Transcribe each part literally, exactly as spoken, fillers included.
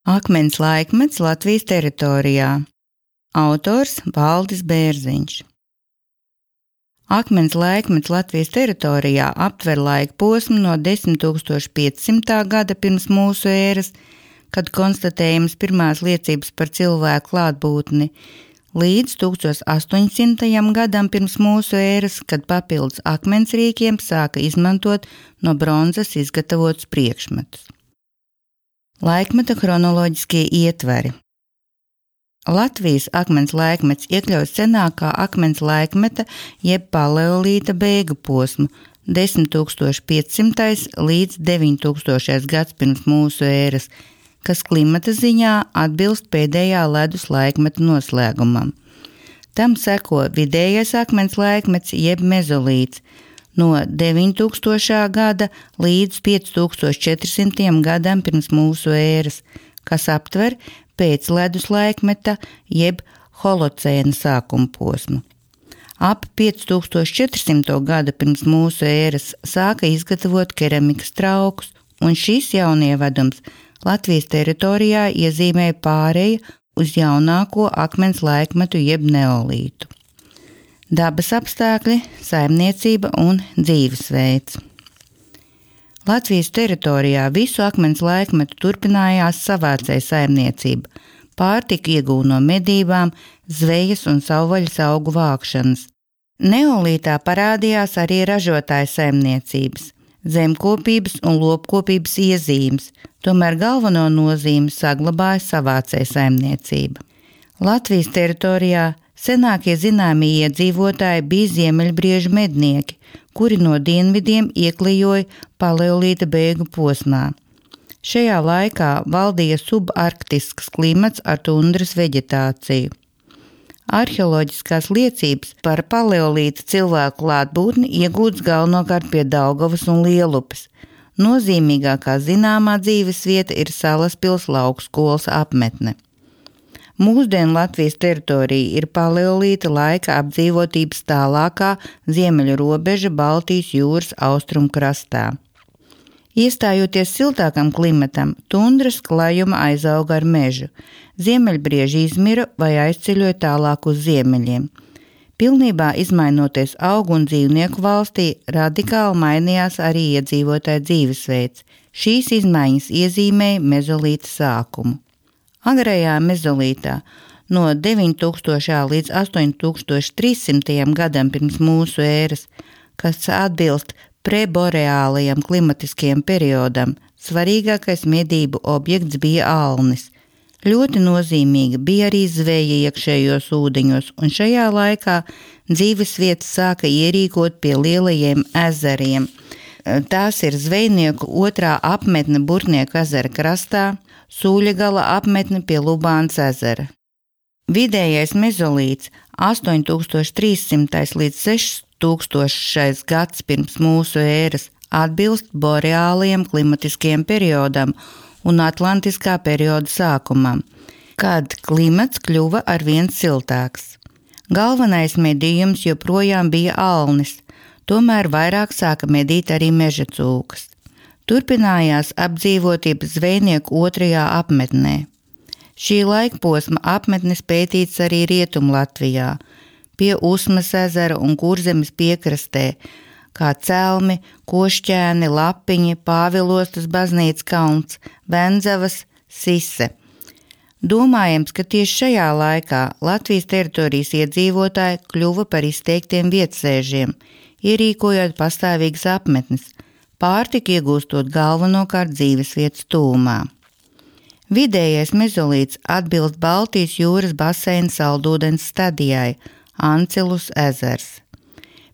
Akmens laikmets Latvijas teritorijā. Autors Valdis Bērziņš. Akmens laikmets Latvijas teritorijā aptver laika posmu no desmit tūkstoši piecsimtā gada pirms mūsu ēras, kad konstatējams pirmās liecības par cilvēku klātbūtni, līdz tūkstoš astoņsimtajam gadam pirms mūsu ēras, kad papildus akmensrīkiem sāka izmantot no bronzas izgatavotus priekšmetus. Laikmeta chronoloģiskie ietveri. Latvijas akmens laikmets iekļauj senākā akmens laikmeta jeb paleolīta beigu posmu desmit tūkstoši piecsimtais līdz deviņi tūkstošais gads pirms mūsu ēras, kas klimata ziņā atbilst pēdējā ledus laikmeta noslēgumam. Tam seko vidējais akmens laikmets jeb mezolīts no deviņi tūkstošā gada līdz pieci tūkstoši četrsimtajam gadam pirms mūsu ēras, kas aptver pēc ledus laikmeta jeb holocēna sākuma posmu. Ap pieci tūkstoši četrsimto gada pirms mūsu ēras sāka izgatavot keramikas traukus, un šis jaunievedums Latvijas teritorijā iezīmēja pāreju uz jaunāko akmens laikmetu jeb neolītu. Dabas apstākļi, saimniecība un dzīvesveids. Latvijas teritorijā visu akmens laikmetu turpinājās savācēja saimniecība, pārtika iegūta no medībām, zvejas un savvaļas augu vākšanas. Neolītā parādījās arī ražotāja saimniecības, zemkopības un lopkopības iezīmes, tomēr galveno nozīmi saglabāja savācēja saimniecība. Latvijas teritorijā senākie zināmie iedzīvotāji bija ziemeļbriežu mednieki, kuri no dienvidiem ieklijoja paleolīta beigu posmā. Šajā laikā valdīja subarktisks klimats ar tundras veģetāciju. Arheoloģiskās liecības par paleolīta cilvēku klātbūtni iegūtas galvenokārt pie Daugavas un Lielupes. Nozīmīgākā zināmā dzīvesvieta ir Salaspils laukskolas apmetne. Mūsdienu Latvijas teritorija ir paleolīta laika apdzīvotības tālākā ziemeļu robeža Baltijas jūras austrumu krastā. Iestājoties siltākam klimatam, tundras klajuma aizauga ar mežu, ziemeļbrieži izmira vai aizceļoja tālāk uz ziemeļiem. Pilnībā izmainoties augu un dzīvnieku valstī, radikāli mainījās arī iedzīvotāju dzīvesveids. Šīs izmaiņas iezīmēja mezolīta sākumu. Agrajā mezolītā no deviņi tūkstošā līdz astoņi tūkstoši trīssimtajam gadam pirms mūsu ēras, kas atbilst preboreālajam klimatiskajam periodam, svarīgākais medību objekts bija alnis. Ļoti nozīmīga bija arī zveja iekšējos ūdeņos, un šajā laikā dzīvesvietas sāka ierīkot pie lielajiem ezeriem. Tās ir zvejnieku otrā apmetne Burtnieku ezera krastā, Sūļagala apmetne pie Lubānas ezera. Vidējais mezolīts astoņi tūkstoši trīssimtais līdz seši tūkstošais gads pirms mūsu ēras atbilst boreālajam klimatiskajam periodam un atlantiskā perioda sākumam, kad klimats kļuva arvien siltāks. Galvenais medījums joprojām bija alnis, tomēr vairāk sāka medīt arī meža cūkas. Turpinājās apdzīvotība zvejnieku otrajā apmetnē. Šī laikposma apmetnes pētīts arī Rietum Latvijā, pie Usmas ezera un Kurzemes piekrastē, kā Celmi, Košķēni, Lapiņi, Pāvilostas baznīcas kalns, Vendzavas, Sise. Domājams, ka tieši šajā laikā Latvijas teritorijas iedzīvotāji kļuva par izteiktiem vietsēžiem, ierīkojot pastāvīgas apmetnes, pārtika iegūstot galvenokārt dzīvesvietas tūmā. Vidējais mezolīts atbilst Baltijas jūras baseina saldūdens stadijai, Ancilus ezers.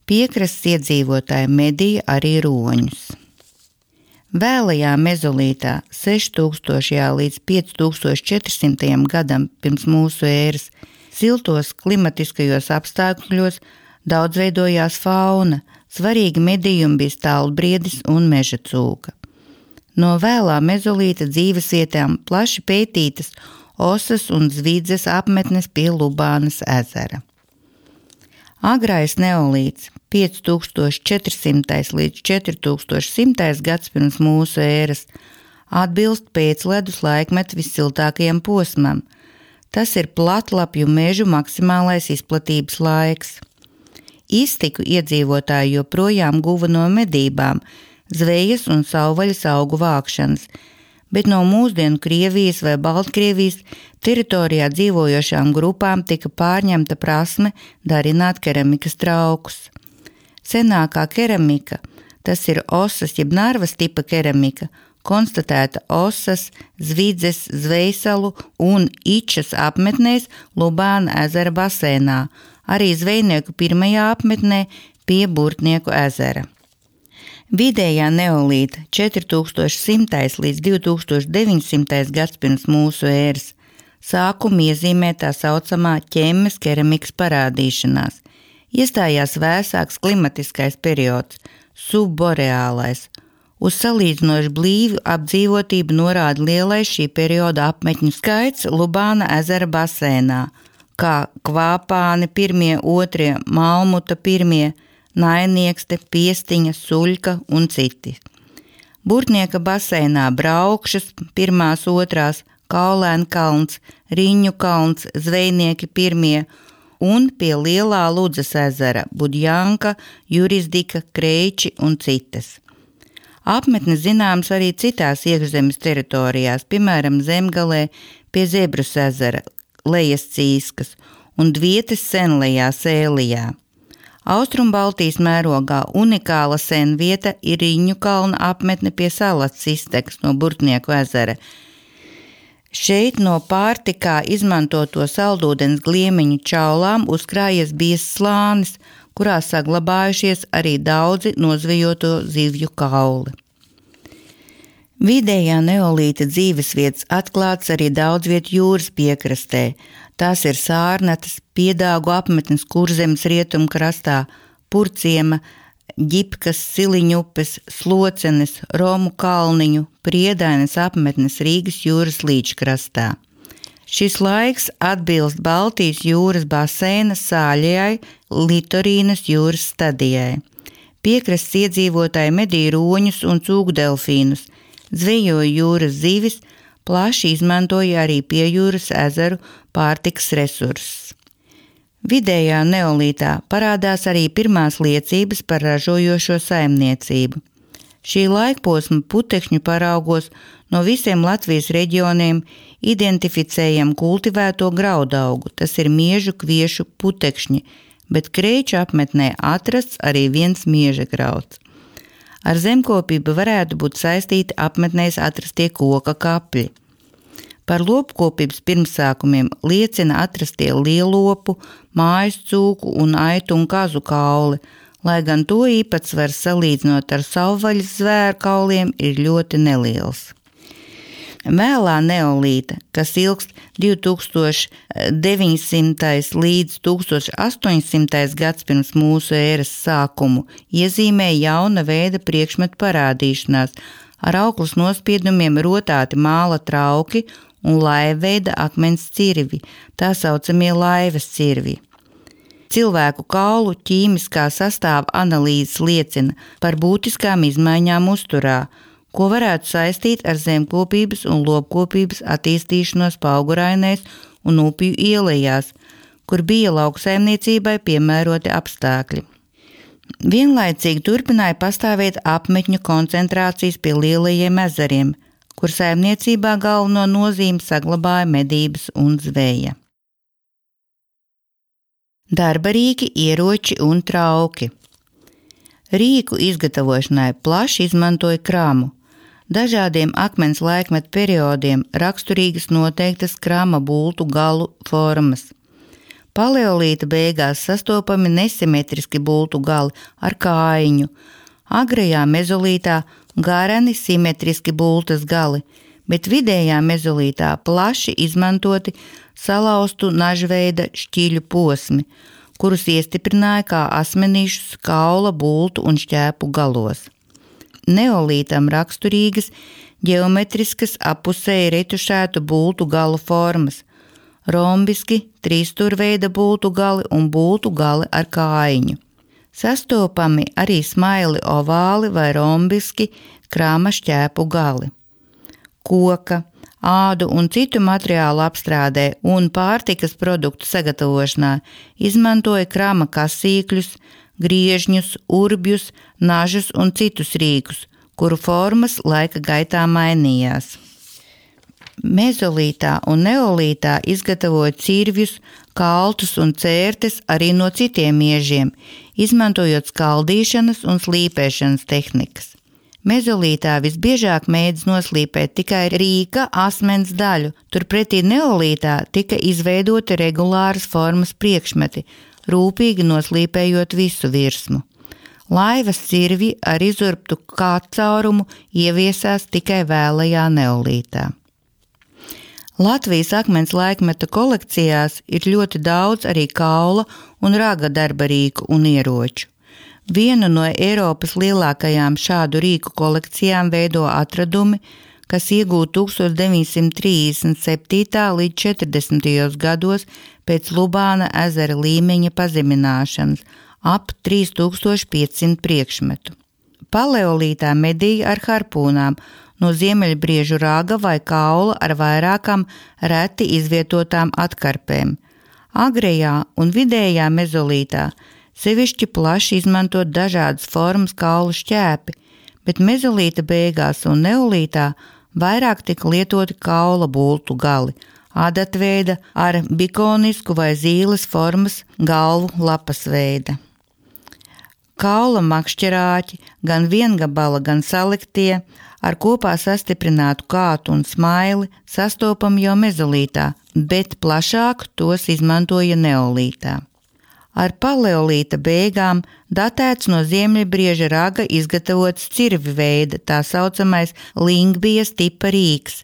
Piekrastes iedzīvotāji medīja arī roņus. Vēlajā mezolītā seši tūkstošajā līdz pieci tūkstoši četrsimtajam gadam pirms mūsu ēras siltos klimatiskajos apstākļos daudzveidojās fauna, svarīgi medījumi bija stālbriedis un meža cūka. No vēlā mezolīta dzīvesvietām plaši pētītas Osas un Zvidzes apmetnes pie Lubānas ezera. Agrais neolīts pieci tūkstoši četrsimtais līdz četri tūkstoši simtais gads pirms mūsu ēras atbilst pēcledus laikmeta vissiltākajam posmam. Tas ir platlapju mežu maksimālais izplatības laiks. Iztiku iedzīvotāji joprojām guva no medībām, zvejas un savvaļas augu vākšanas, bet no mūsdienu Krievijas vai Baltkrievijas teritorijā dzīvojošām grupām tika pārņemta prasme darināt keramikas traukus. Senākā keramika, tas ir Osas jeb Narvas tipa keramika, konstatēta Osas, Zvidzes, Zvejsalu un Ičas apmetnēs Lubāna ezera basēnā, arī zvejnieku pirmajā apmetnē pie Burtnieku ezera. Vidējā neolīta četri tūkstoši simtais līdz divi tūkstoši deviņsimtais gads pirms mūsu ēras sākumu iezīmē tā saucamā ķemmes keramikas parādīšanās. Iestājās vēsāks klimatiskais periods, subboreālais. Uz salīdzinoši blīvu apdzīvotību norāda lielais šī perioda apmetņu skaits Lubāna ezera basēnā, kā Kvāpāni pirmie, otrie, Malmuta pirmie, Nainiekste, Piestiņa, Suļka un citi. Burtnieka baseinā Braukšas, pirmās, otrās, Kaulēna kalns, Riņu kalns, Zvejnieki pirmie un pie Lielā Ludzas ezera Budjanka, Jurisdika, Kreiči un citas. Apmetnes zināms arī citās iekšzemes teritorijās, piemēram Zemgalē pie Zebrus ezera, Lejas Cīskas un Dvietes senlejā Sēlijā. Austrumbaltijas mērogā unikāla senvieta ir Riņu kalna apmetne pie Salats iztekas no Burtnieku ezera. Šeit no pārtikā izmantoto saldūdens gliemiņu čaulām uzkrājies biezs slānis, kurā saglabājušies arī daudzi nozvejoto zivju kauli. Vidējā neolīta dzīvesvietas atklāts arī daudz vietu jūras piekrastē. Tās ir Sārnatas, Piedāgu apmetnes Kurzemes rietumkrastā, Purciema, Ģipkas, Siliņupes, Slocenes, Romu kalniņu, Priedainas apmetnes Rīgas jūras līčkrastā. Šis laiks atbilst Baltijas jūras baseina sāļajai Litorīnas jūras stadijai. Piekrasts iedzīvotāji medīja roņus un cūkdelfīnus, zvejoja jūras zivis, plaši izmantoja arī piejūras ezeru pārtikas resursus. Vidējā neolītā parādās arī pirmās liecības par ražojošo saimniecību. Šī laikposma putekšņu paraugos no visiem Latvijas reģioniem identificējam kultivēto graudaugu, tas ir miežu kviešu putekšņi, bet Kreiču apmetnē atrasts arī viens mieža grauds. Ar zemkopību varētu būt saistīti apmetnēs atrastie koka kapļi. Par lopkopības pirmsākumiem liecina atrastie lielopu, mājas cūku un aitu un kazu kauli, lai gan to īpatsvars salīdzinot ar savvaļas zvēru kauliem ir ļoti neliels. Vēlā neolīta, kas ilgst divi tūkstoši deviņsimtais līdz tūkstoš astoņsimtais gads pirms mūsu ēras sākumu, iezīmē jauna veida priekšmetu parādīšanās, ar auklas nospiedumiem rotāti māla trauki un laivveida akmens cirvi, tā saucamie laivas cirvi. Cilvēku kaulu ķīmiskā sastāva analīzes liecina par būtiskām izmaiņām uzturā, ko varētu saistīt ar zemkopības un lopkopības attīstīšanos Paugurainēs un upju ielejās, kur bija lauksaimniecībai piemēroti apstākļi. Vienlaicīgi turpināja pastāvēt apmetņu koncentrācijas pie lielajiem ezeriem, kur saimniecībā galveno nozīmi saglabāja medības un zveja. Darbarīki, ieroči un trauki. Rīku izgatavošanai plaši izmantoja kramu. Dažādiem akmens laikmetu periodiem raksturīgas noteiktas krama bultu galu formas. Paleolīta beigās sastopami nesimetriski bultu gali ar kājiņu, agrajā mezolītā gareni simetriski bultas gali, bet vidējā mezolītā plaši izmantoti salauztu nažveida šķiļu posmi, kurus iestiprināja kā asmenīšus kaula, bultu un šķēpu galos. Neolītam raksturīgas ģeometriskas apusēji retušētu bultu galu formas, rombiski, trīsstūrveida bultu gali un bultu gali ar kājiņu. Sastopami arī smaili ovāli vai rombiski krāma šķēpu gali. koka, ādu un citu materiālu apstrādē un pārtikas produktu sagatavošanā izmantoja krama kasīkļus, griežņus, urbjus, nažus un citus rīkus, kuru formas laika gaitā mainījās. Mezolītā un neolītā izgatavoja cirvjus, kaltus un cērtes arī no citiem iežiem, izmantojot skaldīšanas un slīpēšanas tehnikas. Mezolītā visbiežāk mēdz noslīpēt tikai rīka asmens daļu, turpretī neolītā tika izveidoti regulāras formas priekšmeti, rūpīgi noslīpējot visu virsmu. Laivas cirvji ar izurbtu kātcaurumu ieviesās tikai vēlajā neolītā. Latvijas akmens laikmeta kolekcijās ir ļoti daudz arī kaula un raga darba rīku un ieroču. Vienu no Eiropas lielākajām šādu rīku kolekcijām veido atradumi, kas iegūti tūkstoš deviņsimt trīsdesmit septītā līdz četrdesmitajos gados pēc Lubāna ezera līmeņa pazemināšanas, ap trīs tūkstoši piecsimt priekšmetu. Paleolītā medīja ar harpūnām no ziemeļbriežu raga vai kaula ar vairākām reti izvietotām atkarpēm. Agrējā un vidējā mezolītā sevišķi plaši izmantot dažādas formas kaulu šķēpi, bet mezolīta beigās un neolītā vairāk tika lietoti kaula bultu gali, adatveida ar bikonisku vai zīles formas galvu lapas veida. Kaula makšķerāķi, gan viengabala, gan saliktie, ar kopā sastiprinātu kātu un smaili sastopam jau mezolītā, bet plašāk tos izmantoja neolītā. Ar paleolīta beigām datēts no ziemeļbrieža raga izgatavots cirvi veida, tā saucamais lingbijas tipa rīks,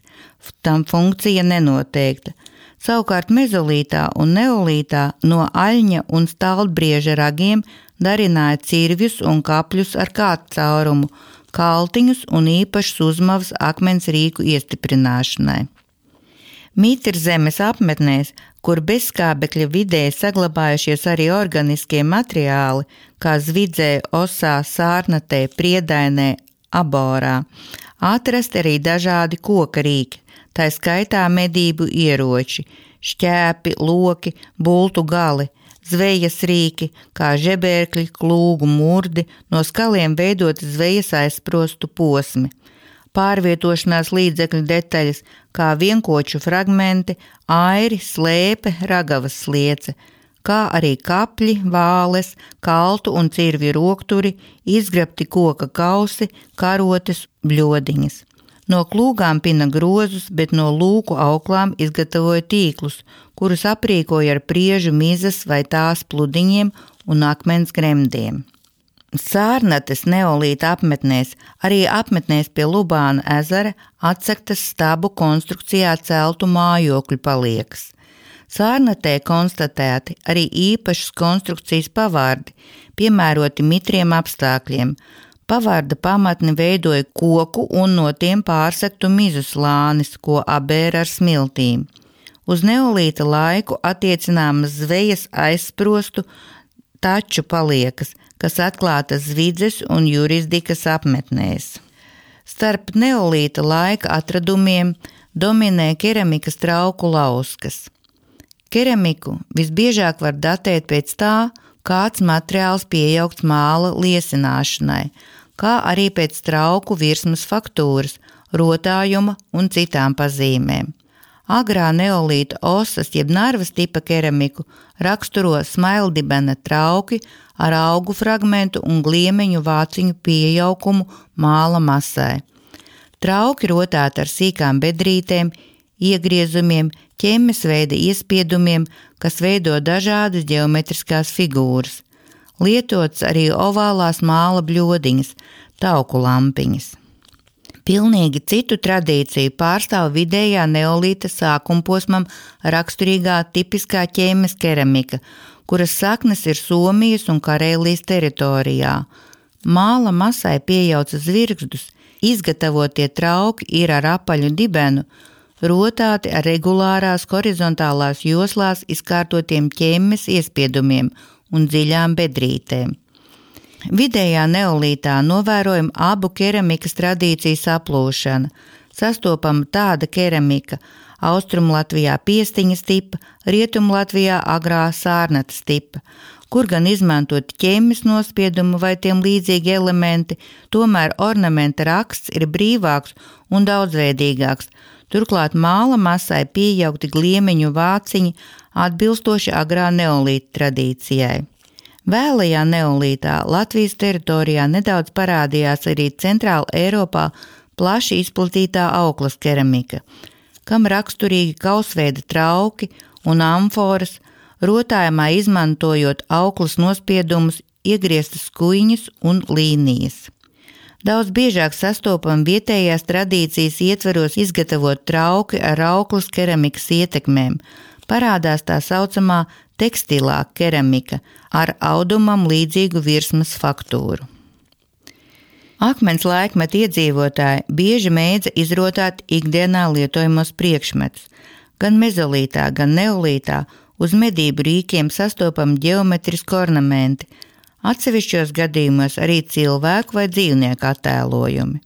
tam funkcija nenoteikta. Savukārt mezolītā un neolītā no aļņa un stalbrieža ragiem darināja cirvjus un kapļus ar kātcaurumu, kaltiņus un īpašas uzmavas akmens rīku iestiprināšanai. Mītrzemes apmetnēs, kur bezskābekļa vidē saglabājušies arī organiskie materiāli, kā zvidzē, osā, sārnatē, priedainē, aborā, atrast arī dažādi koka rīki, tā skaitā medību ieroči, šķēpi, loki, bultu gali, zvejas rīki, kā žebērkļi, klūgu murdi, no skaliem veidoti zvejas aizsprostu posmi, pārvietošanās līdzekļu detaļas, kā vienkoču fragmenti, airi, slēpe, ragavas sliece, kā arī kapļi, vāles, kaltu un cirvju rokturi, izgrabti koka kausi, karotes, bļodiņas. No klūgām pina grozus, bet no lūku auklām izgatavoja tīklus, kurus aprīkoja ar priežu mizas vai tās pludiņiem un akmens gremdiem. Sārnates neolīta apmetnēs, arī apmetnēs pie Lubāna ezera atsektas stabu konstrukcijā celtu mājokļu paliekas. Sārnatē konstatēti arī īpašas konstrukcijas pavārdi, piemēroti mitriem apstākļiem. Pavārda pamatni veidoja koku un no tiem pārsektu mizu slānis, ko abēra ar smiltīm. Uz neolīta laiku attiecināmas zvejas aizsprostu taču paliekas, kas atklātas Zvidzes un Jurisdikas apmetnēs. Starp neolīta laika atradumiem dominē keramikas trauku lauskas. Keramiku visbiežāk var datēt pēc tā, kāds materiāls piejaukts māla liesināšanai, kā arī pēc trauku virsmas faktūras, rotājuma un citām pazīmēm. Agrā neolīta osas jeb narvas tipa keramiku raksturo smaildibena trauki ar augu fragmentu un gliemeņu vāciņu pieaugumu māla masai. Trauki rotāti ar sīkām bedrītēm, iegriezumiem, ķemmes veida iespiedumiem, kas veido dažādas ģeometriskās figūras. Lietots arī ovālās māla bļodiņas, tauku lampiņas. Pilnīgi citu tradīciju pārstāv vidējā neolīta sākumposmam raksturīgā tipiskā ķēmes keramika, kuras saknes ir Somijas un Karēlijas teritorijā. Māla masai piejauca zvirgzdus, izgatavotie trauki ir ar apaļu dibenu, rotāti ar regulārās horizontālās joslās izkārtotiem ķēmes iespiedumiem un dziļām bedrītēm. Vidējā neolītā novērojama abu keramikas tradīciju saplūšana. sastopama tāda keramika Austrumlatvijā piestiņas tipa, Rietumlatvijā agrā sārnatas tipa, kur gan izmantoti ķemmes nospiedumi vai tiem līdzīgi elementi, tomēr ornamenta raksts ir brīvāks un daudzveidīgāks, turklāt māla masai piejaukti gliemeņu vāciņi atbilstoši agrā neolīta tradīcijai. Vēlajā neolītā Latvijas teritorijā nedaudz parādījās arī Centrāla Eiropā plaši izplatītā auklas keramika, kam raksturīgi kausveida trauki un amforas, rotājumā izmantojot auklas nospiedumus, iegrieztas skuiņas un līnijas. Daudz biežāk sastopam vietējās tradīcijas ietveros izgatavot trauki ar auklas keramikas ietekmēm. Parādās tā saucamā tekstilā keramika ar audumam līdzīgu virsmas faktūru. Akmens laikmeta iedzīvotāji bieži mēdza izrotāt ikdienā lietojamos priekšmetus. Gan mezolītā, gan neolītā uz medību rīkiem sastopam ģeometrisku ornamenti, atsevišķos gadījumos arī cilvēku vai dzīvnieku attēlojumi.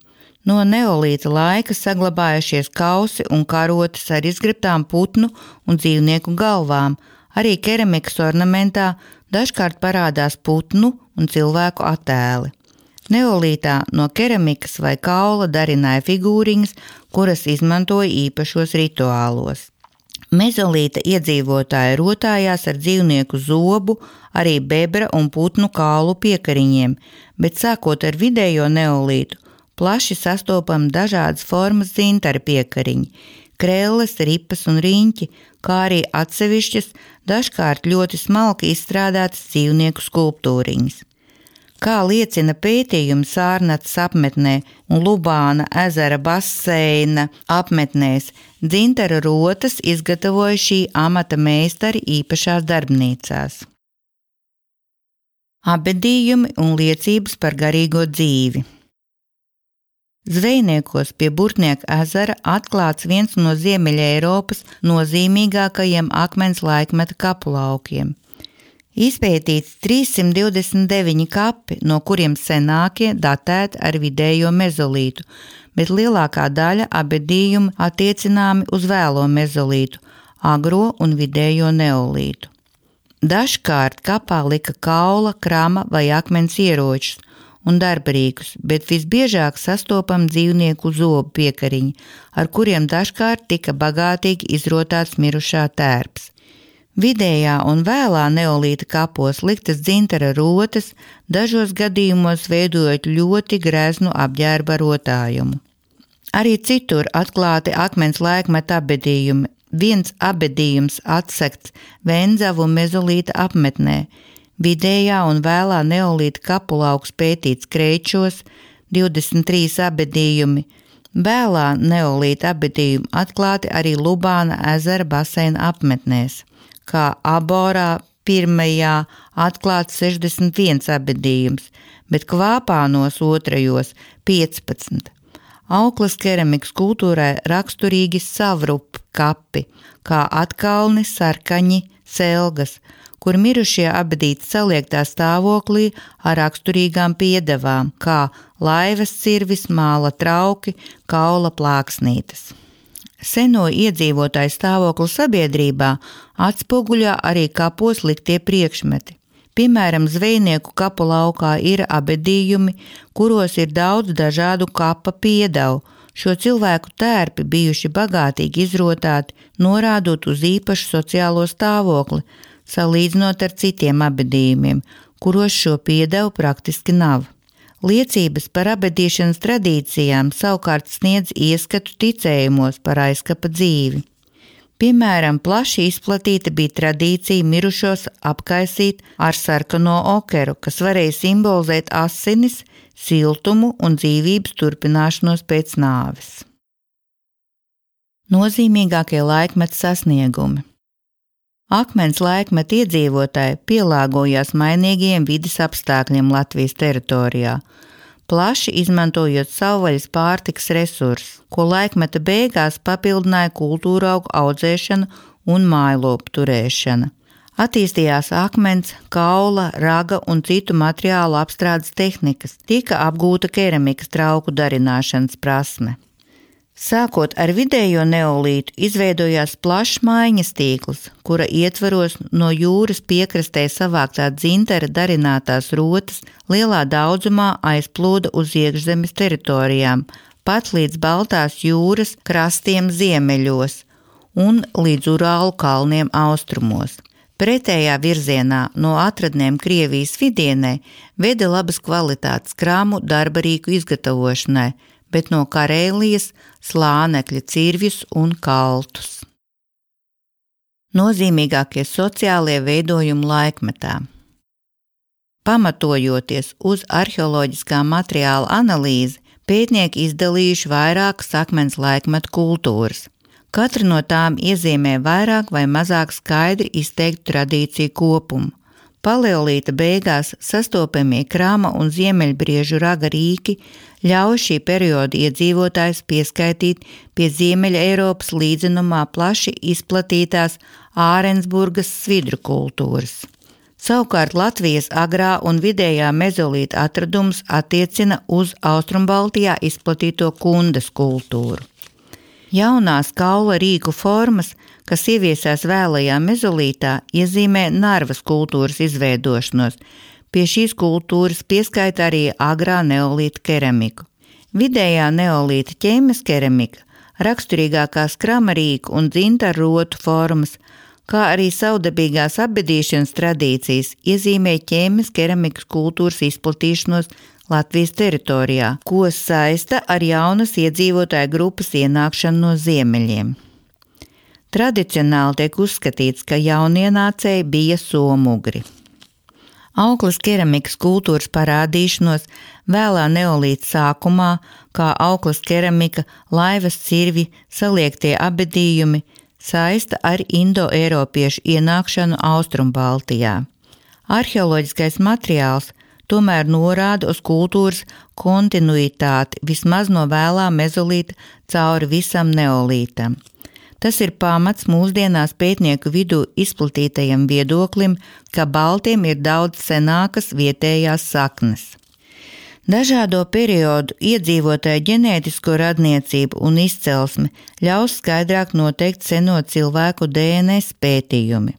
No neolīta laika saglabājušies kausi un karotes ar izgrebtām putnu un dzīvnieku galvām, arī keramikas ornamentā dažkārt parādās putnu un cilvēku attēli. Neolītā no keramikas vai kaula darināja figūriņas, kuras izmantoja īpašos rituālos. Mezolīta iedzīvotāji rotājās ar dzīvnieku zobu, arī bebra un putnu kaulu piekariņiem, bet sākot ar vidējo neolītu, plaši sastopam dažādas formas dzintara piekariņi, krelles, ripas un riņķi, kā arī atsevišķas, dažkārt ļoti smalki izstrādātas dzīvnieku skulptūriņas. Kā liecina pētījumi Sārnatas apmetnē un Lubāna ezera baseina apmetnēs, dzintara rotas izgatavoja šī amata meistari īpašās darbnīcās. Abedījumi un liecības par garīgo dzīvi. Zvejniekos pie Burtnieka ezera atklāts viens no Ziemeļa Eiropas nozīmīgākajiem akmens laikmeta kapulaukiem. Izpētīts trīssimt divdesmit deviņi kapi, no kuriem senākie datēti ar vidējo mezolītu, bet lielākā daļa abedījumu attiecināmi uz vēlo mezolītu, agro un vidējo neolītu. Dažkārt kapā lika kaula, krama vai akmens ieročus un darbarīkus, bet visbiežāk sastopam dzīvnieku zobu piekariņi, ar kuriem dažkārt tika bagātīgi izrotāts mirušā tērps. Vidējā un vēlā neolīta kapos liktas dzintara rotas, dažos gadījumos veidojot ļoti greznu apģērba rotājumu. Arī citur atklāti akmens laikmeta abedījumi. Viens abedījums atsekts Venzavu mezolīta apmetnē. Vidējā un vēlā neolīta kapulauks pētīts Kreičos, divdesmit trīs abedījumi. Vēlā neolīta abedījumi atklāti arī Lubāna ezera baseina apmetnēs. Kā Aborā pirmajā atklāts sešdesmit viens abedījums, bet Kvāpānos otrajos piecpadsmit. Auklas keramikas kultūrai raksturīgi savrup kapi, kā atkalni, sarkaņi, selgas, kur mirušie abedīti saliektā stāvoklī ar raksturīgām piedevām, kā laivas cirvis, māla trauki, kaula plāksnītes. Seno iedzīvotāju stāvokli sabiedrībā atspoguļā arī kapos liktie priekšmeti. Piemēram, zvejnieku kapu laukā ir abedījumi, kuros ir daudz dažādu kapa piedevu. Šo cilvēku tērpi bijuši bagātīgi izrotāti, norādot uz īpašu sociālo stāvokli, salīdzinot ar citiem abedījumiem, kuros šo piedevu praktiski nav. Liecības par abedīšanas tradīcijām savukārt sniedz ieskatu ticējumos par aizkapa dzīvi. Piemēram, plaši izplatīta bija tradīcija mirušos apkaisīt ar sarkano okeru, kas varēja simbolizēt asinis, siltumu un dzīvības turpināšanos pēc nāves. Nozīmīgākie laikmeta sasniegumi. Akmens laikmeta iedzīvotāji pielāgojās mainīgiem vides apstākļiem Latvijas teritorijā, plaši izmantojot savvaļas pārtikas resursus, ko laikmeta beigās papildināja kultūraugu audzēšana un mājlopu turēšana. Attīstījās akmens, kaula, raga un citu materiālu apstrādes tehnikas, tika apgūta keramikas trauku darināšanas prasme. Sākot ar vidējo neolītu izveidojās plašs maiņas tīkls, kura ietvaros no jūras piekrastē savāktā dzintara darinātās rotas lielā daudzumā aizplūda uz iekšzemes teritorijām, pat līdz Baltās jūras krastiem ziemeļos un līdz Urālu kalniem austrumos. Pretējā virzienā no atradnēm Krievijas vidienē veda labas kvalitātes krāmu darbarīku izgatavošanai, bet no Karēlijas slānekļa cirvjus un kaltus. Nozīmīgākie sociālie veidojumi laikmetā. Pamatojoties uz arheoloģiskā materiāla analīzi, pētnieki izdalījuši vairākas akmens laikmeta kultūras. Katra no tām iezīmē vairāk vai mazāk skaidri izteiktu tradīciju kopumu. Paleolīta beigās sastopamie krāma un ziemeļbriežu raga rīki ļauj šī perioda iedzīvotājus pieskaitīt pie Ziemeļa Eiropas līdzenumā plaši izplatītās Ārensburgas svidru kultūras. Savukārt Latvijas agrā un vidējā mezolīta atradums attiecina uz Austrumbaltijā izplatīto kundas kultūru. Jaunās kaula rīku formas, kas ieviesās vēlajā mezolītā, iezīmē Narvas kultūras izveidošanos. Pie šīs kultūras pieskaita arī agrā neolīta keramiku. Vidējā neolīta ķēmes keramika, raksturīgākās kramarīku un dzintarrotu formas, kā arī savdabīgās apbedīšanas tradīcijas iezīmē ķēmes keramikas kultūras izplatīšanos Latvijas teritorijā, ko saista ar jaunas iedzīvotāju grupas ienākšanu no ziemeļiem. Tradicionāli tiek uzskatīts, ka jaunienācēji bija somugri. Auklas keramikas kultūras parādīšanos vēlā neolīta sākumā, kā auklas keramika, laivas cirvi, saliektie abedījumi, saista ar indo-eiropiešu ienākšanu Austrumbaltijā. Arheoloģiskais materiāls tomēr norāda uz kultūras kontinuitāti vismaz no vēlā mezolīta cauri visam neolītam. Tas ir pamats mūsdienās pētnieku vidū izplatītajam viedoklim, ka baltiem ir daudz senākas vietējās saknes. Dažādo periodu iedzīvotāju ģenētisko radniecību un izcelsmi ļaus skaidrāk noteikt seno cilvēku D N S pētījumi.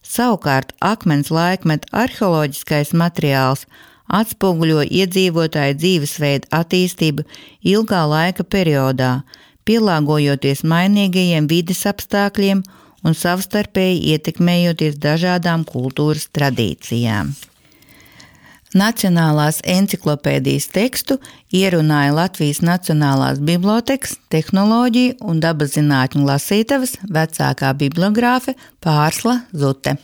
Savukārt akmens laikmeta arheoloģiskais materiāls atspoguļo iedzīvotāju dzīvesveidu attīstību ilgā laika periodā, pielāgojoties mainīgajiem vides apstākļiem un savstarpēji ietekmējoties dažādām kultūras tradīcijām. Nacionālās enciklopēdijas tekstu ierunāja Latvijas Nacionālās bibliotēkas tehnoloģiju un dabaszinātņu lasītavas vecākā bibliogrāfe Pārsla Zute.